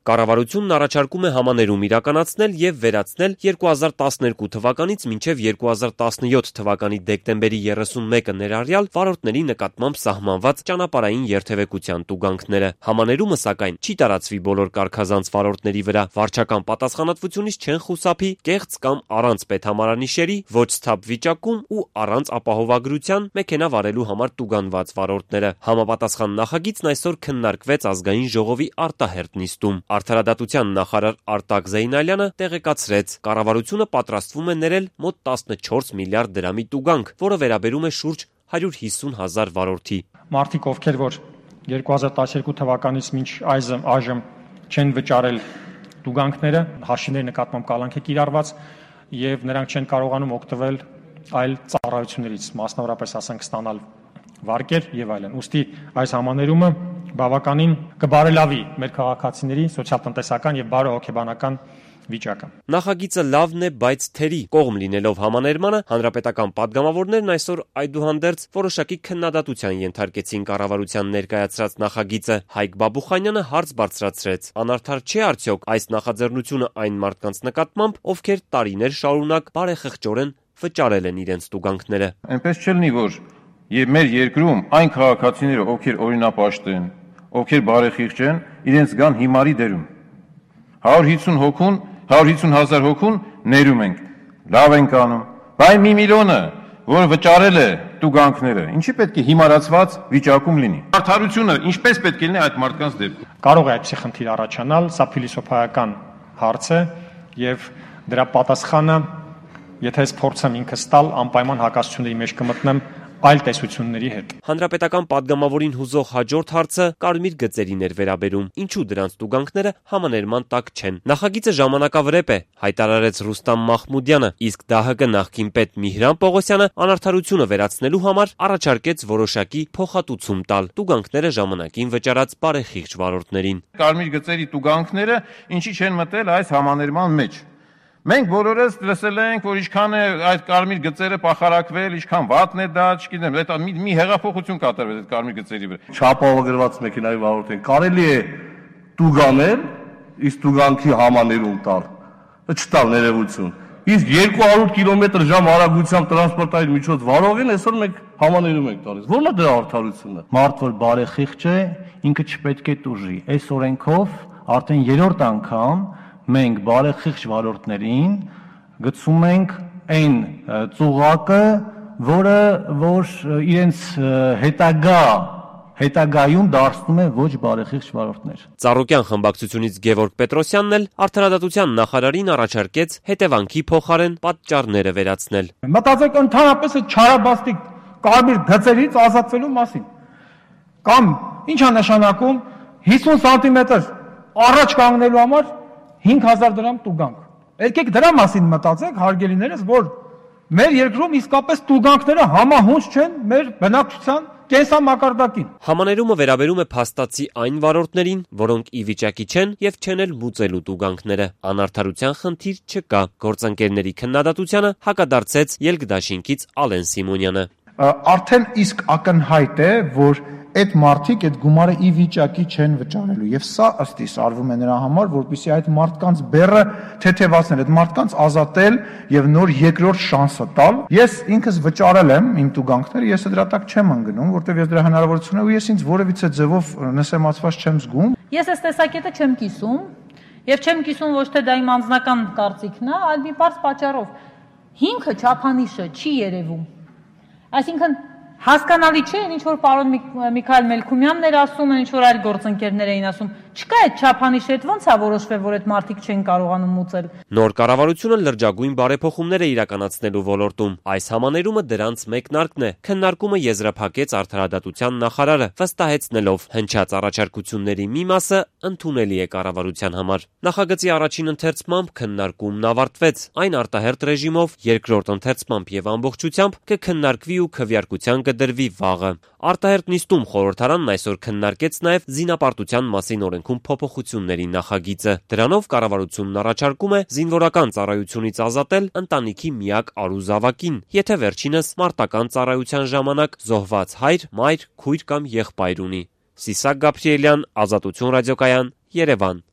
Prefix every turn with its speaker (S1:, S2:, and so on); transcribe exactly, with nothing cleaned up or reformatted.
S1: Կառավարությունն առաջարկում է համաներում իրականացնել եւ վերացնել երկու հազար տասներկու թվականից մինչեւ երկու հազար տասնյոթ թվականի դեկտեմբերի երեսունմեկը ներառյալ վարորդների նկատմամբ սահմանված ճանապարհային երթևեկության տուգանքները։ Համաներումը, սակայն, չի տարածվի բոլոր կարգազանց վարորդների վրա, վարչական պատասխանատվությունից չեն խուսափի կեղծ կամ առանց պետհամարանիշերի, ոչ սթափ վիճակում ու առանց ապահովագրության մեքենա վարելու համար տուգանված վարորդները։ Համապատասխան նախագիծն այսօր քննարկվեց ազգային ժողովի արտահերթ նիստում։ Արդարադատության նախարար Արտակ Զեյնալյանը տեղեկացրեց, կառավարությունը պատրաստվում է ներել մոտ տասնչորս միլիարդ դրամի տուգանք, որը վերաբերում է շուրջ հարյուր հիսուն հազար վարորդի։
S2: Մարդիկ, ովքեր որ երկու հազար տասներկու թվականից մինչ այժմ չեն վճարել տուգանքները, հաշիվների նկատմամբ կալանք է կիրառված եւ նրանք չեն կարողանում օգտվել այլ ծառայություններից, մասնավորապես ասենք ստանալ վարկեր եւ այլն։ Ուստի այս համաներումը բավականին կբարելավի մեր քաղաքացիների սոցիալ-տնտեսական եւ բարոյհոգեբանական վիճակը։
S1: Նախագիծը լավն է, բայց թերի կողմ լինելով համաներմանը, հանրապետական падգամավորներն այսօր այդուհանդերձ որոշակի քննադատության ենթարկեցին կառավարության ներկայացրած նախագիծը։ Հայկ Բաբուխանյանը հարց բարձրացրեց. անարդար չէ արդյոք այս նախաձեռնությունը այն մարդկանց նկատմամբ, ովքեր տարիներ շարունակ բարեխղճորեն վճարել են իրենց տուգանքները։
S3: Այնպես չլինի, որ եւ մեր երկրում այն քաղաքացիները, ովքեր օրինապաշտ են, ովքեր բարեխիղճ են, իրենց գան հիմարի դերում։ հարյուր հիսուն հոգուն, հարյուր հիսուն հազար հոգուն ներում ենք։ Լավ ենք անում։ Բայց մի միլիոնը, որը վճարել է տուգանքները, ինչի պետք է հիմարացված վիճակում լինի։ Արդարությունը ինչպես պետք է լինի այդ մարդկանց դեպքում։
S2: Կարող է այդպիսի խնդիր առաջանալ, սա փիլիսոփայական հարց է եւ դրա պատասխանը, եթե ես փորձեմ ինքս տալ, անպայման հակասությունների մեջ կմտնեմ այլ տեսությունների հետ։
S1: Հանրապետական падգամավորին հուզող հաջորդ հարցը կարմիր գծերին էր վերաբերում, ինչու դրանց տուգանքները համաներման տակ չեն։ Նախագիծը ժամանակավրեպ է, հայտարարեց Ռուստամ Մախմուդյանը, իսկ ԴՀԿ նախկին պետ Միհրան Պողոսյանը անարդարությունը վերացնելու համար առաջարկեց որոշակի փոխհատուցում տալ տուգանքները ժամանակին վճարած բարեխիղճ վարորդներին։
S3: Կարմիր գծերի տուգանքները ինչի չեն մտել այս համաներման մեջ։ Մենք բոլորս լսել ենք, որ ինչքան է այդ կարմիր գծերը փախարակվել, ինչքան վատն է դա, չգիտեմ, դա մի, մի հեղափոխություն կատարվեց այդ կարմիր գծերի վրա։
S4: Չապահովագրված մեքենայի վարորդին կարելի է տուգանել, իսկ տուգանքի համաներում տալ, չտալ ներողություն։ Իսկ երկու հարյուր կիլոմետր ժամ արագությամբ տրանսպորտային միջոց վարողին այսօր մենք համաներում ենք տալիս։ Ո՞րն է դրա արդարությունը։
S5: Մարդ որ բարեխիղճ է, ինքը չպետք է տուժի։ Այս օրենքով արդեն երրորդ անգամ մենք բարեխիղճ վարորդներին գցում ենք այն ծուղակը, որը որ իրենց հետագա հետագայում դարձնում է ոչ բարեխիղճ վարորդներ։
S1: Ծառուկյան խմբակցությունից Գևորգ Պետրոսյանն էլ արդարադատության նախարարին առաջարկեց հետևանքի փոխարեն պատճառները վերացնել։
S2: Մտածեք ընդհանրապես այդ չարաբաստիկ կարմիր գծերից ազատվելու մասին։ Կամ ի՞նչ է նշանակում հիսուն սանտիմետր առաջ կանգնելու համար հինգ հազար դրամ տուգանք։ Եկեք դրա մասին մտածենք, հարգելիներս, որ մեր երկրում իսկապես տուգանքները համահունչ չեն մեր բնակչության կենսամակարդակին։
S1: Համաներումը վերաբերում է փաստացի այն վարորդներին, որոնք ի վիճակի չեն եւ չեն էլ մուծելու տուգանքները։ Անարդարության խնդիր չկա։ Գործընկերների քննադատությանը հակադարձեց Ելք-Դաշինքից Ալեն Սիմոնյանը։
S6: Արդեն իսկ ակնհայտ է, որ այդ մարդիկ այդ գումարը ի վիճակի չեն վճարելու եւ սա ըստ իս արվում է նրա համար, որպեսզի այդ մարդկանց բեռը թեթևացնել, այդ մարդկանց ազատել եւ նոր երկրորդ շանսը տալ։ Ես ինքս վճարել եմ իմ տուգանքները, ես դրա տակ չեմ ընկնում, որտեվ ես դրա հնարավորություն ունեմ ու ես ինձ որևիցե ձևով նսեմացված չեմ զգում։
S7: Ես այս տեսակետը չեմ կիսում եւ չեմ կիսում ոչ թե դա իմ անձնական կարծիքն է, այլ մի բարձ պատճառով։ Հիմքը չափանիշը չի երևում։ Այսինքն հասկանալի չէ, ինչ որ պարոն Միքայել Մելքումյանն էր ասում, ինչ որ այլ գործընկերներ էին ասում, չկա այդ չափանիշը, այդ ո՞նց է որոշվել, որ այդ մարդիկ չեն կարողանում մուծել։
S1: Նոր կառավարությունը լրջագույն բարեփոխումներ է իրականացնելու ոլորտում։ Այս համաներումը դրանց մեկնարկն է, քննարկումը եզրափակեց արդարադատության նախարարը, վստահեցնելով հնչած առաջարկությունների մի մասը ընդունելի է կառավարության համար։ Նախագծի առաջին ընթերցմամբ քննարկումն ավարտվեց, այն արտահերթ ռեժիմով, երկրորդ ընթերցմամբ եւ ամբողջությամբ կքննարկվի ու քվեարկության կդրվի վաղը։ Արտահերթ նիստում խորհրդարանն այսօր քննարկեց նաև զինապարտության մասին օրենքում փոփոխությունների նախագիծը։ Դրանով կառավարությունն առաջարկում է զինվորական ծառայությունից ազատել ընտանիքի միակ առուզավակին, եթե վերջինս մարտական ծառայության ժամանակ զոհված հայր, մայր, քույր կամ եղբայր ունի։ Սիսակ Գաբրիելյան, Ազատություն ռադիոկայան, Երևան։